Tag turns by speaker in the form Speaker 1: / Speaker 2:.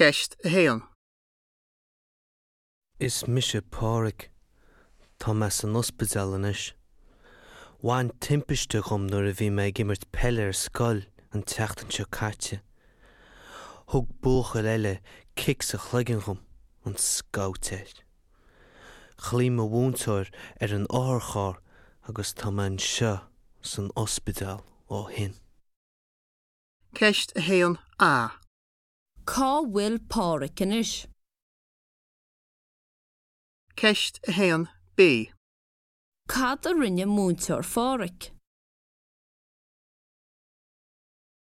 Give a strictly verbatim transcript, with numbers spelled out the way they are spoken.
Speaker 1: Ceist a haon.
Speaker 2: Is mise Pádraig. Tá mé san ospidéal anois. Bhain timpiste dhom nuair a bhí mé ag imirt peile ar scoil an tseachtain seo caite. Thug buachaill eile cic sa chloigeann dhom an scabhtéir. Ghlaoigh mo mhúinteoir ar an otharcharr agus tá mé anseo san ospidéal ó shin.
Speaker 1: Ceist a haon A.
Speaker 3: Cá bhfuil Pádraig anois?
Speaker 1: Ceist a haon B.
Speaker 3: Cad a rinne múinteoir Phádraig?